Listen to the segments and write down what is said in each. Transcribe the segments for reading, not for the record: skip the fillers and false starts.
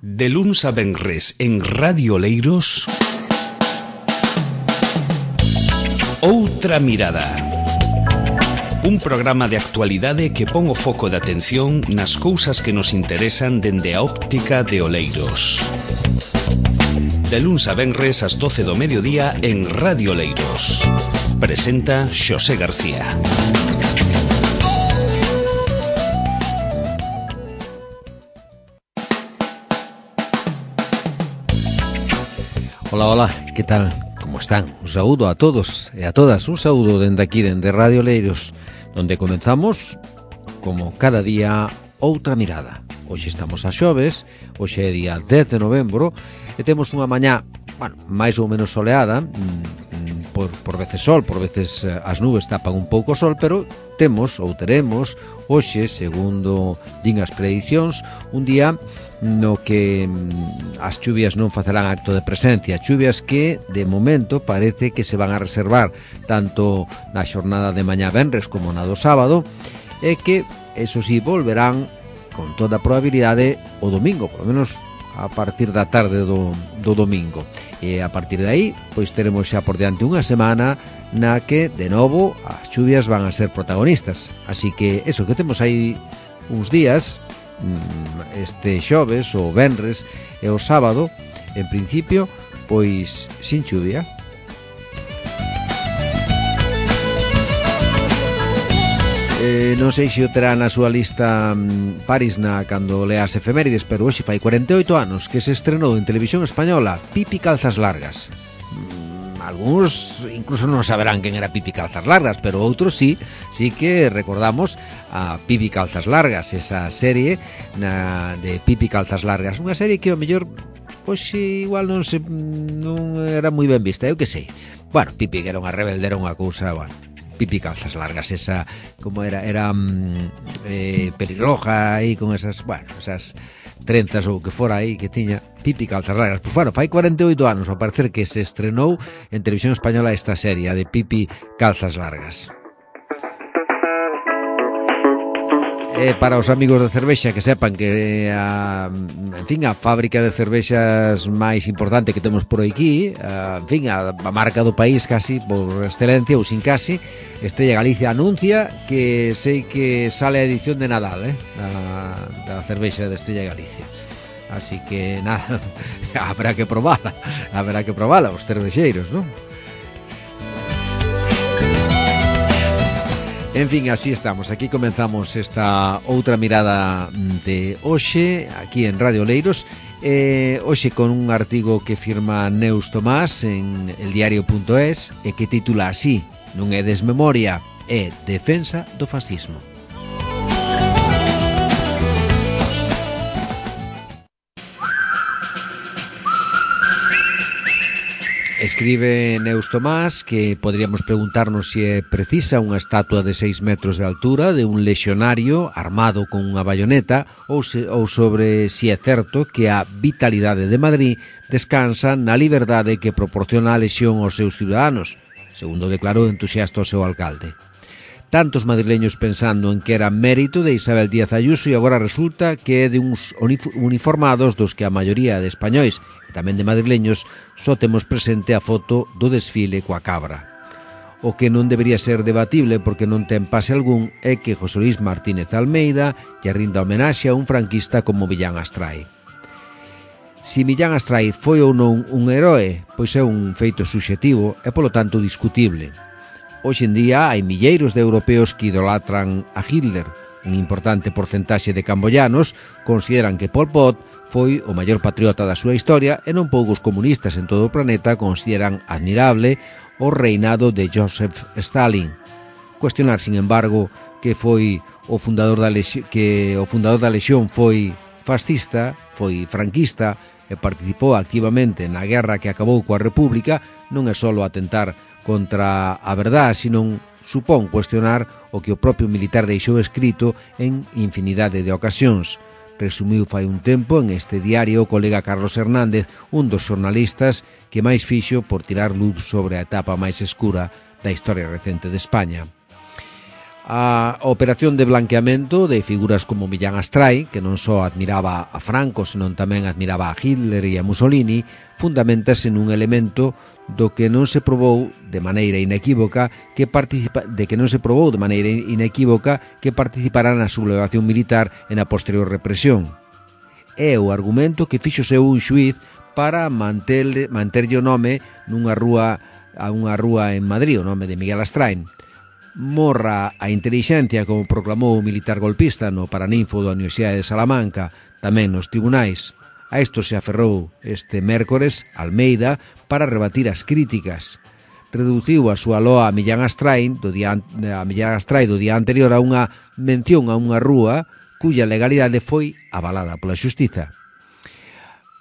De luns a venres en Radio Oleiros, Outra Mirada. Un programa de actualidade que pon o foco de atención nas cousas que nos interesan dende a óptica de Oleiros. De luns a venres ás 12 do mediodía en Radio Oleiros. Presenta Xosé García. Hola, hola, que tal? Como están? Un saúdo a todos e a todas, un saúdo dende aquí, dende Radio Oleiros, donde comenzamos, como cada día, Outra Mirada. Hoxe estamos a xoves, hoxe é día 10 de novembro, e temos unha mañá, máis ou menos soleada, por veces sol, por veces as nubes tapan un pouco o sol, pero temos, ou teremos, hoxe, segundo din as predicións, un día no que as chuvias non facerán acto de presencia, chuvias que de momento parece que se van a reservar tanto na xornada de mañá venres como na do sábado, e que, eso sí, volverán con toda a probabilidade o domingo, polo menos a partir da tarde do domingo, e a partir de aí pois teremos xa por diante unha semana na que de novo as chuvias van a ser protagonistas, así que eso que temos aí uns días, este xoves, o venres e o sábado, en principio, pois sin chuvia. Non sei se o terá na súa lista Paris cando lea as efemérides, pero hoxe fai 48 anos que se estrenou en televisión española Pipi Calzas Largas. Algúns incluso non saberán quen era Pipi Calzas Largas, pero outros sí que recordamos a Pipi Calzas Largas, esa serie de Pipi Calzas Largas, unha serie que ao mellor pois igual non era moi ben vista, eu que sei. Bueno, Pipi que era unha rebelde, era unha cousa, Pipi Calzas Largas, esa como era pelirroja aí con esas trenzas ou que fora aí que tiña Pipi Calzas Largas. Pois fai 48 anos ao parecer que se estrenou en televisión española esta serie de Pipi Calzas Largas. Para os amigos de cervexa que sepan que a fábrica de cervexas máis importante que temos por aquí, a marca do país casi por excelencia ou sin casi, Estrella Galicia anuncia que sei que sale a edición de Nadal da cervexa de Estrella Galicia. Así que nada, habrá que probala os cervexeiros, non? En fin, así estamos, aquí comenzamos esta outra mirada de hoxe, aquí en Radio Oleiros, hoxe con un artigo que firma Neus Tomás en eldiario.es e que titula así: non é desmemoria, é defensa do fascismo. Escribe Neus Tomás que podríamos preguntarnos se é precisa unha estatua de 6 metros de altura de un lexionario armado con unha bayoneta ou sobre se é certo que a vitalidade de Madrid descansa na liberdade que proporciona a lexión aos seus ciudadanos, segundo declarou entusiasta o seu alcalde. Tantos madrileños pensando en que era mérito de Isabel Díaz Ayuso e agora resulta que é de uns uniformados dos que a maioría de españois e tamén de madrileños só temos presente a foto do desfile coa cabra. O que non debería ser debatible porque non ten pase algún é que José Luis Martínez Almeida lle rinda homenaxe a un franquista como Millán Astray. Si Millán Astray foi ou non un heroe, pois é un feito subxetivo e polo tanto discutible. Hoxe en día hai milleiros de europeos que idolatran a Hitler. Un importante porcentaxe de camboyanos consideran que Pol Pot foi o maior patriota da súa historia e non poucos comunistas en todo o planeta consideran admirable o reinado de Joseph Stalin. Cuestionar, sin embargo, que o fundador da Lexión foi fascista, foi franquista e participou activamente na guerra que acabou coa República non é só atentar contra a verdade, sino supón cuestionar o que o propio militar deixou escrito en infinidade de ocasións. Resumiu fai un tempo en este diario o colega Carlos Hernández, un dos xornalistas que máis fixo por tirar luz sobre a etapa máis escura da historia recente de España. A operación de blanqueamento de figuras como Millán Astray, que non só admiraba a Franco, senón tamén admiraba a Hitler e a Mussolini, fundamentase nun elemento do que non se probou de maneira inequívoca que participará na sublevación militar e na posterior represión. É o argumento que fixo seu un xuíz para manterlle o nome a unha rúa en Madrid, o nome de Miguel Astray. Morra a intelixencia, como proclamou o militar golpista no Paraninfo da Universidade de Salamanca, tamén nos tribunais. A isto se aferrou este mércores Almeida para rebatir as críticas. Reduciu a súa loa a Millán Astray do día anterior a unha mención a unha rúa cuya legalidade foi avalada pola xustiza.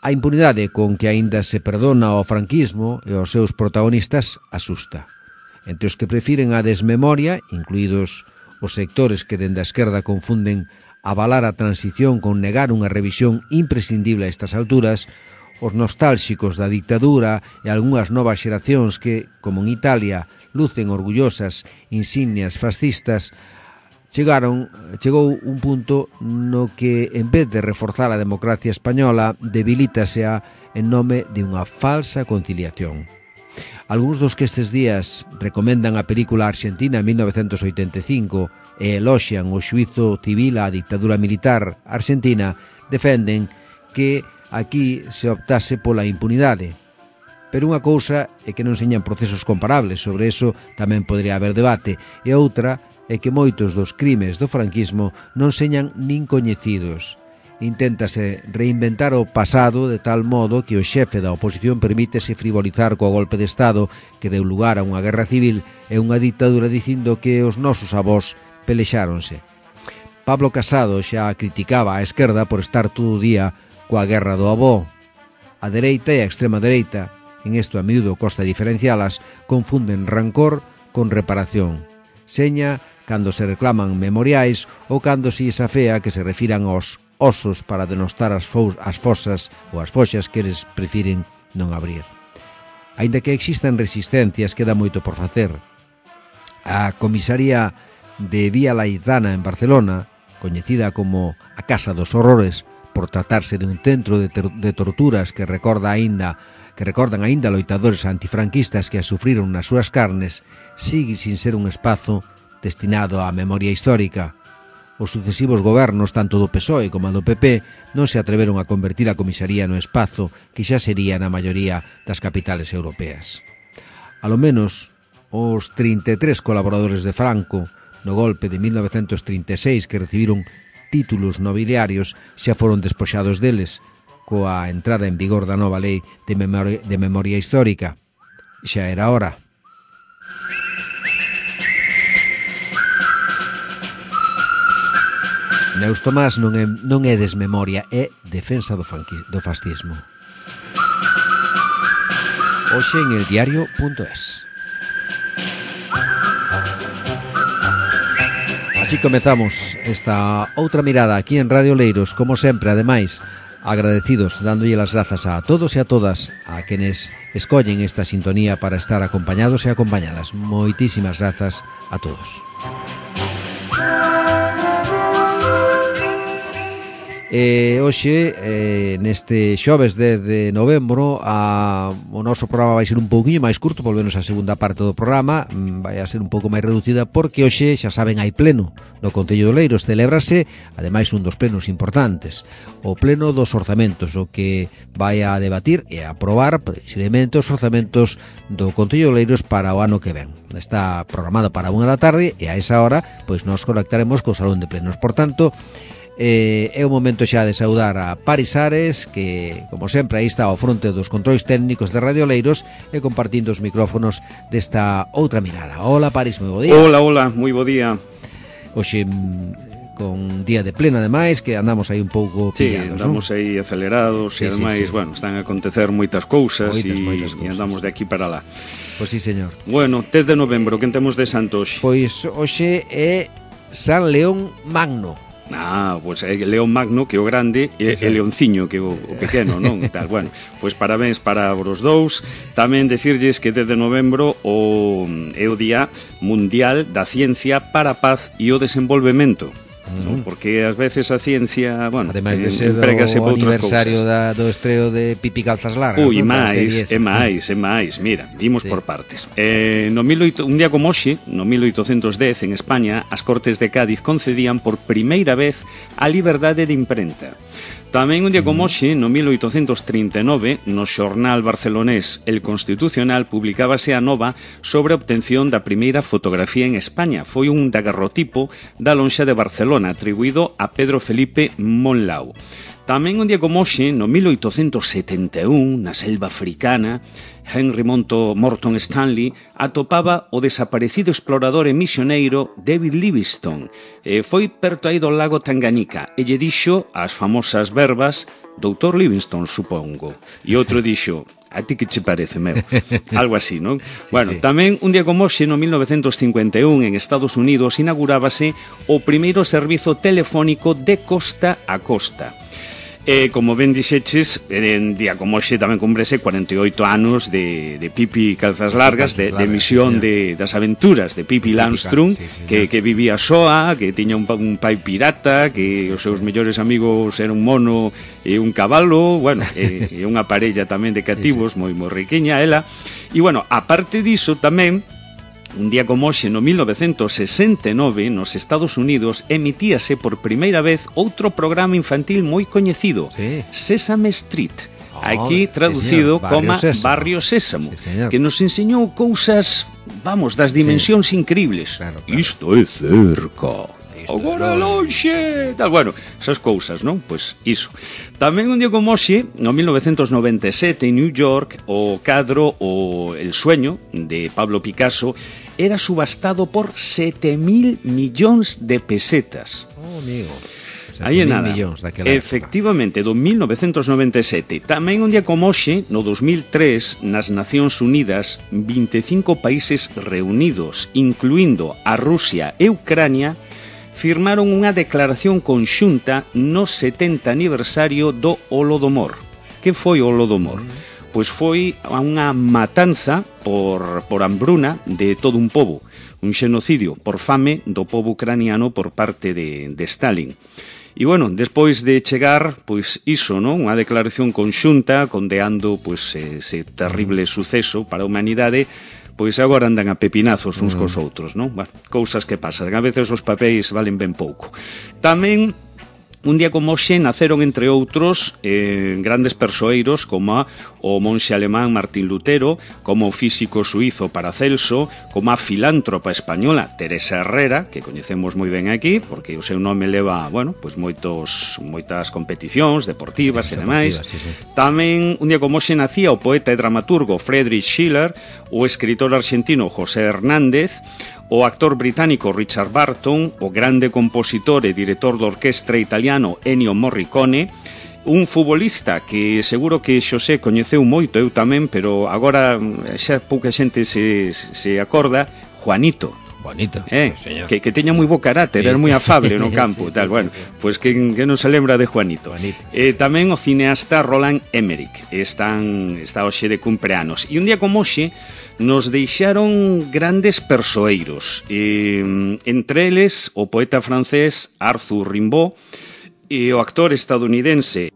A impunidade con que aínda se perdona ao franquismo e aos seus protagonistas asusta. Entre os que prefiren a desmemoria, incluídos os sectores que dende a esquerda confunden avalar a transición con negar unha revisión imprescindible a estas alturas, os nostálxicos da dictadura e algunhas novas xeracións que, como en Italia, lucen orgullosas insignias fascistas, chegou un punto no que, en vez de reforzar a democracia española, debilítasea en nome de unha falsa conciliación. Algúns dos que estes días recomendan a película argentina en 1985 e eloxian o xuízo civil á dictadura militar argentina, defenden que aquí se optase pola impunidade. Pero unha cousa é que non señan procesos comparables, sobre eso tamén podría haber debate, e outra é que moitos dos crimes do franquismo non señan nin coñecidos. Inténtase reinventar o pasado de tal modo que o xefe da oposición permítese frivolizar co golpe de Estado que deu lugar a unha guerra civil e unha dictadura dicindo que os nosos avós pelexáronse. Pablo Casado xa criticaba a esquerda por estar todo o día coa guerra do avó. A dereita e a extrema dereita, en isto a miúdo costa diferencialas, confunden rancor con reparación. Seña cando se reclaman memoriais ou cando se afea que se refiran aos osos para denostar as fosas ou as foxas que eles prefiren non abrir. Aínda que existan resistencias, queda moito por facer. A comisaría de Vía Laizana en Barcelona, coñecida como a Casa dos Horrores por tratarse de un centro de torturas que recordan aínda loitadores antifranquistas que as sufriron nas súas carnes, sigue sin ser un espazo destinado á memoria histórica. Os sucesivos gobernos, tanto do PSOE como do PP, non se atreveron a convertir a comisaría no espazo que xa sería na maioría das capitales europeas. A lo menos, os 33 colaboradores de Franco no golpe de 1936 que recibiron títulos nobiliarios xa foron despoxados deles coa entrada en vigor da nova lei de memoria histórica. Xa era hora. Neus Tomás non é desmemoria, é defensa do fascismo. Hoxe en eldiario.es. Así comezamos esta outra mirada aquí en Radio Oleiros, como sempre, ademais, agradecidos, dándolle as grazas a todos e a todas a quenes escollen esta sintonía para estar acompañados e acompañadas. Moitísimas grazas a todos. Hoxe, neste xoves 10 de novembro, o noso programa vai ser un pouquiño máis curto, volvemos a segunda parte do programa, vai a ser un pouco máis reducida, porque hoxe, xa saben, hai pleno no Concello de Oleiros. Celébrase, ademais, un dos plenos importantes, o pleno dos orzamentos, o que vai a debatir e a aprobar precisamente os orzamentos do Concello de Oleiros para o ano que ven. Está programado para 1 da tarde e a esa hora pois nos conectaremos co Salón de Plenos. Por tanto, é o momento xa de saudar a Paris Ares, que, como sempre, aí está ao fronte dos controis técnicos de Radio Oleiros e compartindo os micrófonos desta outra mirada. Hola, Paris, moi bo día. Hola, moi bo día. Hoxe, con día de pleno, ademais, que andamos aí un pouco pillados, andamos aí acelerados, e ademais, bueno, están a acontecer moitas cousas e andamos de aquí para lá. Pois sí, señor. Bueno, 10 de novembro, quen temos de santo hoxe? Pois hoxe é San León Magno. Pois León Magno, que é o grande, e Leonciño, que é o pequeno, non? Tal, bueno, pois parabéns para os dous. Tamén decirlles que desde novembro é o Día Mundial da Ciencia para a Paz e o Desenvolvemento. ¿no? Porque ás veces a ciencia, bueno, ademais de ser o aniversario do estreo de Pipi Calzas Largas. Ui, máis, mira, vimos por partes. Un día como hoxe, no 1810, en España, as Cortes de Cádiz concedían por primeira vez a liberdade de imprenta. Tamén un día como hoxe, no 1839, no xornal barcelonés El Constitucional, publicábase a nova sobre a obtención da primeira fotografía en España. Foi un daguerrotipo da lonxa de Barcelona, atribuído a Pedro Felipe Monlau. Tamén un día como hoxe, no 1871, na selva africana, Henry Morton Stanley atopaba o desaparecido explorador e misioneiro David Livingstone. Foi perto aí do lago Tanganica e lle dixo as famosas verbas Doutor Livingstone, supongo. E outro dixo, a ti que che parece, meu? Algo así, non? Sí, bueno, sí. Tamén un día como hoxe, no 1951, en Estados Unidos, inaugurábase o primeiro servizo telefónico de costa a costa. Como ben dixeches, en día como hoxe tamén cumprese 48 anos de Pipi Calzas Largas, de emisión das aventuras de Pipi Landström, que vivía soa, que tiña un pai pirata, que os seus mellores amigos eran un mono e un cabalo, bueno, e unha parella tamén de cativos, moi riquiña ela. E, bueno, aparte diso tamén, un día como hoxe, no 1969, nos Estados Unidos, emitíase por primeira vez outro programa infantil moi coñecido, Sesame Street, aquí traducido como Barrio Sésamo, que nos enseñou cousas, vamos, das dimensións incribles. Claro. Isto é cerca. Agora lonxe, tal, bueno, esas cousas, non? Pois iso. Tamén un día como hoxe, no 1997, en New York, o cadro O El sueño, de Pablo Picasso, era subastado por 7.000 millóns de pesetas. Oh, amigo. Aí é nada. Efectivamente, do 1997. Tamén un día como hoxe, no 2003, nas Nacións Unidas, 25 países reunidos, incluindo a Rusia e Ucrania, firmaron unha declaración conxunta no 70 aniversario do Holodomor. Que foi o Holodomor? Pois foi unha matanza por hambruna de todo un pobo, un xenocidio por fame do pobo ucraniano por parte de Stalin. E, bueno, despois de chegar, pois iso, non? Unha declaración conxunta condeando pois ese terrible suceso para a humanidade, pois agora andan a pepinazos uns cos outros, non? Bueno, cousas que pasan, a veces os papéis valen ben pouco. Tamén, un día como hoxe, naceron, entre outros, grandes persoeiros como o monxe alemán Martín Lutero, como o físico suizo Paracelso, como a filántropa española Teresa Herrera, que coñecemos moi ben aquí, porque o seu nome leva, bueno, pois moitas competicións deportivas e demais. Tamén, un día como hoxe, nacía o poeta e dramaturgo Friedrich Schiller, o escritor argentino José Hernández, o actor británico Richard Burton, o grande compositor e director de orquestra italiano Ennio Morricone, un futbolista que seguro que Xosé coñeceu moito, eu tamén, pero agora xa pouca xente se acorda, Juanito. Bonito, que teña moi bo carácter, era moi afable no campo, tal, bueno, pois que non se lembra de Juanito. Tamén o cineasta Roland Emmerich, está hoxe de cumpleanos. E un día como hoxe nos deixaron grandes persoeiros, entre eles o poeta francés Arthur Rimbaud e o actor estadounidense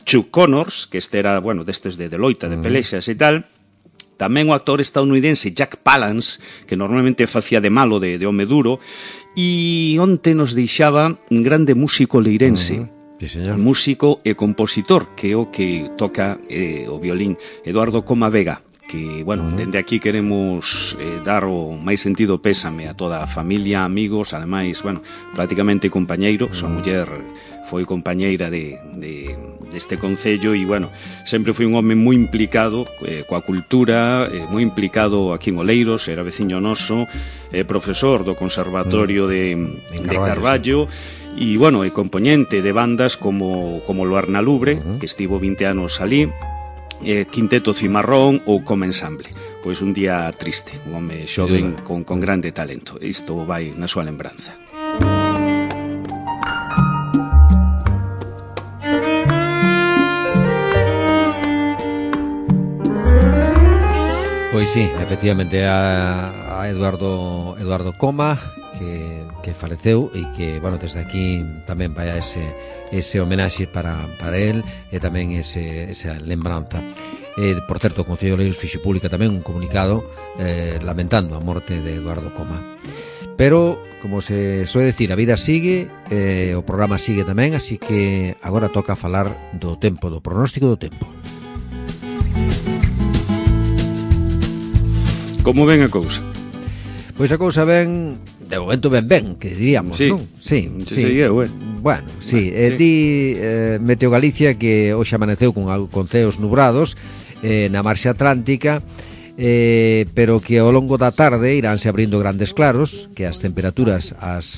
Chuck Connors, que este era, bueno, destes de loita, de pelexas e tal. Tamén o actor estadounidense Jack Palance, que normalmente facía de malo, de home duro, e onte nos deixaba un grande músico leirense, músico e compositor, que é o que toca o violín, Eduardo Coma Vega, que, bueno, dende aquí queremos dar o máis sentido pésame a toda a familia, amigos, ademais, bueno, prácticamente compañeiro, súa muller foi compañeira deste concello e, bueno, sempre foi un home moi implicado coa cultura, moi implicado aquí en Oleiros, era veciño noso, profesor do Conservatorio de Carballo, e, bueno, é compoñente de bandas como Luarna Lubre, que estivo 20 anos ali, Quinteto Cimarrón ou como ensamble. Pois un día triste, un home xoven con grande talento. Isto vai na súa lembranza. Pois sí, efectivamente a Eduardo Coma que faleceu e que, bueno, desde aquí tamén vai a ese homenaxe para él e tamén esa lembranza. Por certo, o Concello de Oleiros fixo pública tamén un comunicado lamentando a morte de Eduardo Coma. Pero, como se soe decir, a vida sigue, o programa sigue tamén, así que agora toca falar do tempo, do pronóstico do tempo. Como ven a cousa? Pois a cousa ven, de momento ben, que diríamos, sí. Non? Sí. Bueno, sí, di Meteo Galicia que hoxe amaneceu con ceos nubrados na marxe atlántica, pero que ao longo da tarde iránse abrindo grandes claros, que as temperaturas as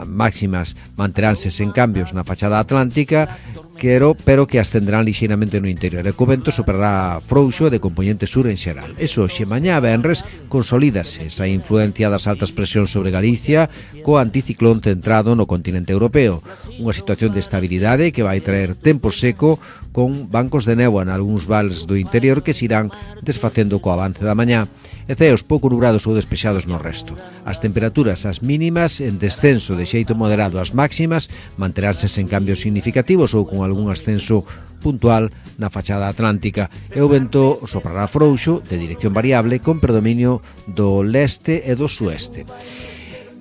máximas manteránse sen cambios na fachada atlántica, pero que ascenderán lixeiramente no interior, e co vento superará frouxo de componente sur en xeral. Eso, xe mañá venres consolídase esa influencia das altas presións sobre Galicia co anticiclón centrado no continente europeo, unha situación de estabilidade que vai traer tempo seco con bancos de néboa nalgúns vales do interior que se irán desfacendo co avance da mañá, e ceos pouco nubrados ou despexados no resto. As temperaturas as mínimas en descenso de xeito moderado, as máximas manteránse sen cambios significativos ou con algún ascenso puntual na fachada atlántica, e o vento soprará frouxo de dirección variable con predominio do leste e do sueste.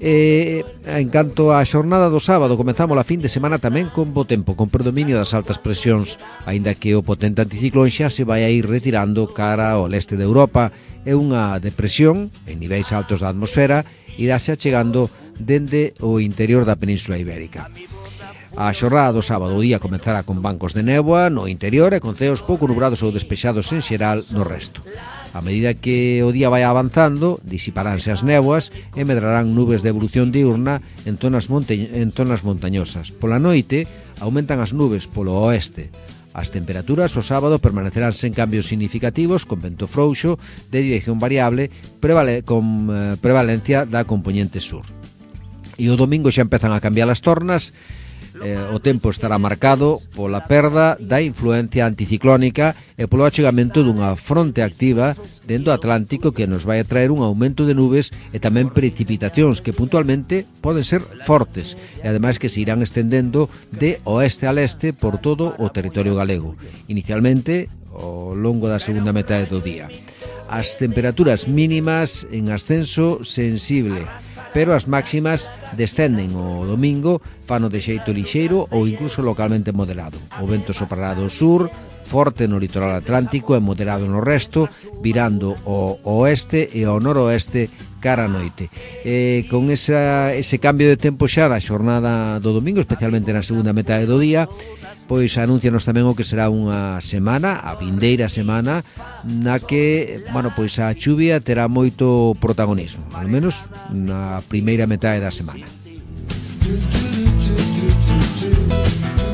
En canto á xornada do sábado, comezamos a fin de semana tamén con bo tempo, con predominio das altas presións, aínda que o potente anticiclón xa se vai a ir retirando cara ao leste de Europa, e unha depresión en niveis altos da atmosfera iráse achegando dende o interior da Península Ibérica. A xornada do sábado o día comezará con bancos de néboa no interior e con ceos pouco nubrados ou despexados en xeral no resto. A medida que o día vai avanzando, disiparánse as néboas e medrarán nubes de evolución diurna en zonas montañosas. Pola noite, aumentan as nubes polo oeste. As temperaturas o sábado permanecerán sen cambios significativos, con vento frouxo de dirección variable con prevalencia da componente sur. E o domingo xa empezan a cambiar as tornas. O tempo estará marcado pola perda da influencia anticiclónica e polo achegamento dunha fronte activa dentro do Atlántico que nos vai a traer un aumento de nubes e tamén precipitacións que puntualmente poden ser fortes e ademais que se irán estendendo de oeste a leste por todo o territorio galego, inicialmente ao longo da segunda metade do día. As temperaturas mínimas en ascenso sensible, pero as máximas descenden o domingo, fano de xeito lixeiro ou incluso localmente moderado. O vento soprará do sur, forte no litoral atlántico e moderado no resto, virando ao oeste e ao noroeste cara a noite. Con ese cambio de tempo xa na xornada do domingo, especialmente na segunda metade do día, pois anuncianos tamén o que será unha semana, a vindeira semana, na que, bueno, pois a chuvia terá moito protagonismo, ao menos na primeira metade da semana.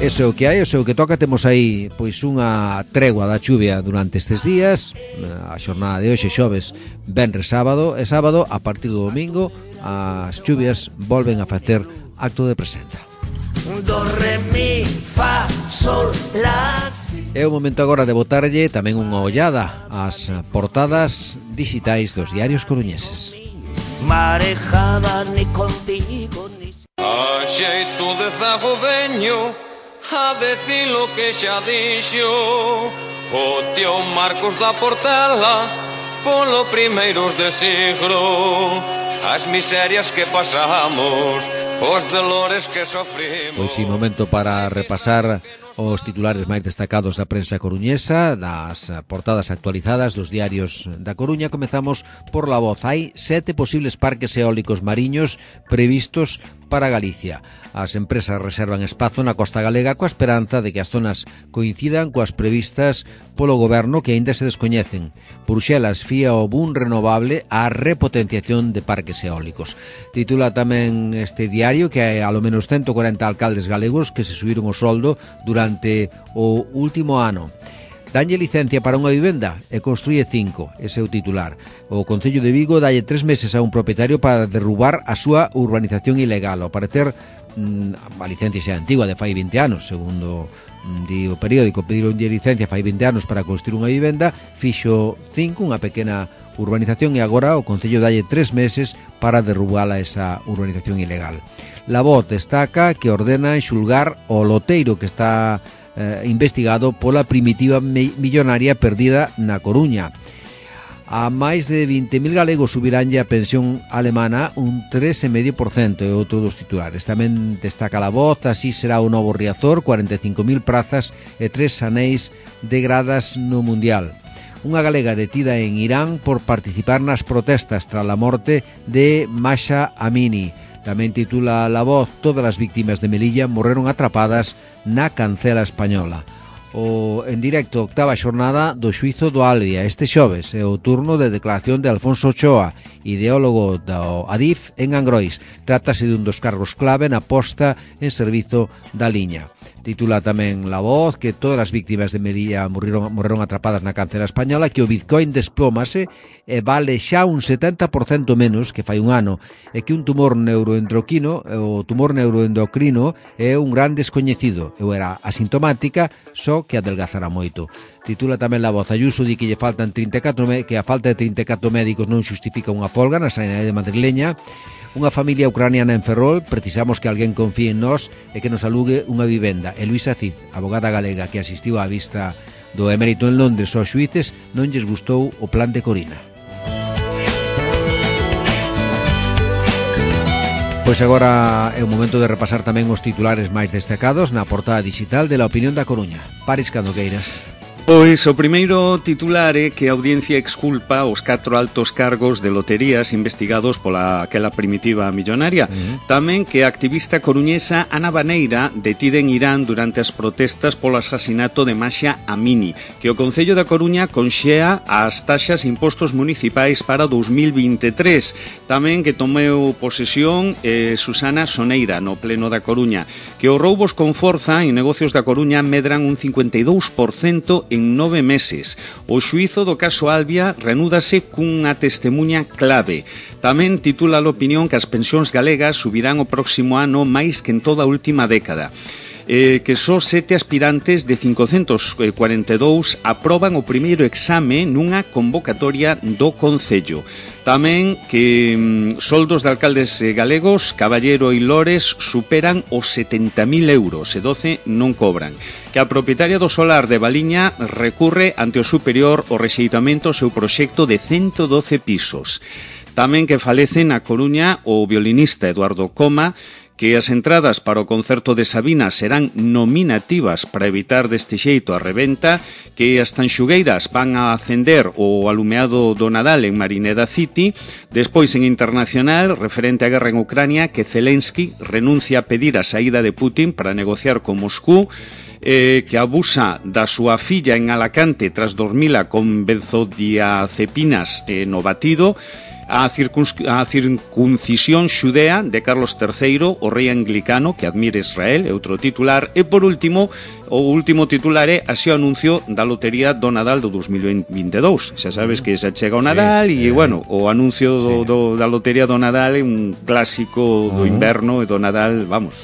Ese é o que hai, ese é o que toca. Temos aí pois unha tregua da chuvia durante estes días. A xornada de hoxe, xoves, venres, sábado e sábado, a partir do domingo as chuvias volven a facer acto de presenza. Do, re, mi, fa, sol, la. É o momento agora de botarlle tamén unha ollada ás portadas digitais dos diarios coruñeses. Marejada ni contigo ni... A xeito de zago veño a decir lo que xa dixo o tío Marcos da Portela polo primeiros de siglo, as miserias que pasamos, os dolores que sofrimos. Pois sí, momento para repasar os titulares máis destacados da prensa coruñesa, das portadas actualizadas dos diarios da Coruña. Comezamos por La Voz. Hai 7 posibles parques eólicos mariños previstos para Galicia. As empresas reservan espazo na costa galega coa esperanza de que as zonas coincidan coas previstas polo goberno, que aínda se descoñecen. Bruxelas fía o boom renovable á repotenciación de parques eólicos. Titula tamén este diario que hai alo menos 140 alcaldes galegos que se subiron o soldo durante o último ano. Danlle licencia para unha vivenda e construye 5, ese é o titular. O Concello de Vigo dalle 3 meses a un propietario para derrubar a súa urbanización ilegal. Ao parecer, a licencia xa é antigua, de fai 20 anos, segundo di o periódico. Pedironlle licencia fai 20 anos para construir unha vivenda, fixo 5, unha pequena urbanización e agora o Concello dalle 3 meses para derrubala esa urbanización ilegal. La Voz destaca que ordena xulgar o loteiro que está investigado pola primitiva millonaria perdida na Coruña. A máis de 20.000 galegos subiránlle a pensión alemana un 3,5%, é outro dos titulares. Tamén destaca La Voz, así será o novo Riazor, 45.000 prazas e 3 anéis de gradas no Mundial. Unha galega detida en Irán por participar nas protestas tras a morte de Mahsa Amini. Tamén titula La Voz, todas as víctimas de Melilla morreron atrapadas na cancela española. En directo, octava xornada do xuízo do Albia. Este xoves é o turno de declaración de Alfonso Ochoa, ideólogo do Adif en Angrois. Trátase dun dos cargos clave na posta en servizo da liña. Titula tamén La Voz que todas as víctimas de Melilla morreron atrapadas na cancela española, que o Bitcoin desplómase e vale xa un 70% menos que fai un ano, e que un tumor neuroendocrino é un gran descoñecido, e era asintomática, só que adelgazará moito. Titula tamén La Voz, Ayuso di que lle faltan 34 que a falta de 34 médicos non xustifica unha folga na sanidade madrileña. Unha familia ucraniana en Ferrol, precisamos que alguén confíe en nós e que nos alugue unha vivenda. E Luisa Cid, abogada galega que asistiu á vista do emérito en Londres aos xuíces, non lles gustou o plan de Corina. Pois agora é o momento de repasar tamén os titulares máis destacados na portada digital de La Opinión da Coruña. Paris cando queiras. Pois o primeiro titular é que a audiencia exculpa os 4 altos cargos de loterías investigados pola aquela primitiva millonaria. Tamén que a activista coruñesa Ana Baneira, detida en Irán durante as protestas polo asasinato de Mahsa Amini, que o Concello da Coruña conxea as taxas e impostos municipais para 2023. Tamén que tomeu posesión Susana Soneira no Pleno da Coruña, que os roubos con forza en negocios da Coruña medran un 52% en 9 meses. O xuízo do caso Albia renúdase cunha testemunha clave. Tamén titula a opinión que as pensións galegas subirán o próximo ano máis que en toda a última década. Que só 7 aspirantes de 542 aproban o primeiro exame nunha convocatoria do Concello. Tamén que soldos de alcaldes galegos, Caballero e Lores, superan os 70.000 euros e 12 non cobran. Que a propietaria do solar de Valiña recurre ante o superior o rexeitamento ao seu proxecto de 112 pisos. Tamén que falece na Coruña o violinista Eduardo Coma, que as entradas para o concerto de Sabina serán nominativas para evitar deste xeito a reventa, que as tanxugueiras van a acender o alumeado do Nadal en Marineda City. Despois, en internacional, referente á guerra en Ucrania, que Zelensky renuncia a pedir a saída de Putin para negociar con Moscú, que abusa da súa filla en Alacante tras dormila con benzodiazepinas no batido. A circuncisión xudea de Carlos III, o rei anglicano que admira Israel, é outro titular. E por último, o último titular é así o anuncio da lotería do Nadal do 2022. Xa sabes que xa chega o Nadal e, bueno, o anuncio da lotería do Nadal é un clásico do inverno e do Nadal, vamos,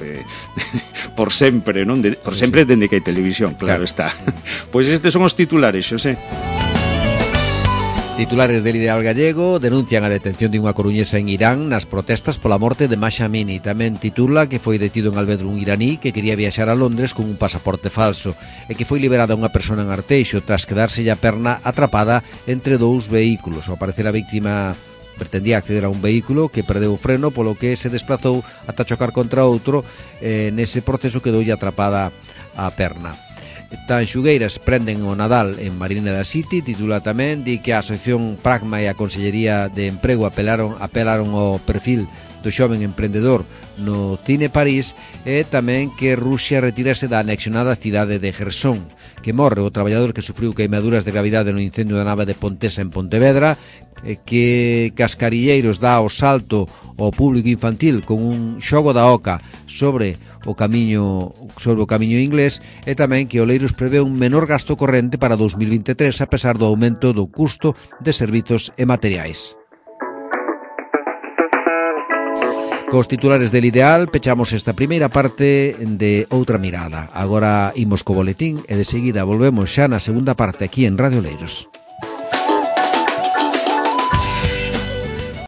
por sempre, non? Por sempre dende que hai televisión, claro está. Pois estes son os titulares, Xosé. Titulares del Ideal Gallego denuncian a detención de unha coruñesa en Irán nas protestas pola morte de Mahsa Amini. Tamén titula que foi detido en Alvedro un iraní que quería viaxar a Londres con un pasaporte falso e que foi liberada unha persona en Arteixo tras quedarse a perna atrapada entre dous vehículos. Ao parecer a víctima pretendía acceder a un vehículo que perdeu o freno, polo que se desplazou ata chocar contra outro. Nese proceso quedoulle atrapada a perna. Tanxugueiras prenden o Nadal en Marineda City. Titula tamén, di que a Asociación Pragma e a Consellería de Emprego apelaron ao perfil do xoven emprendedor no Cine París, e tamén que Rusia retírase da anexionada cidade de Jersón, que morre o traballador que sufriu queimaduras de gravidade no incendio da nave de Pontesa en Pontevedra, que Cascarilleiros dá o salto ao público infantil con un xogo da oca sobre o camiño inglés, e tamén que Oleiros prevé un menor gasto corrente para 2023 a pesar do aumento do custo de servizos e materiais. Cos titulares del Ideal pechamos esta primeira parte de Outra Mirada. Agora imos co boletín e de seguida volvemos xa na segunda parte aquí en Radio Oleiros.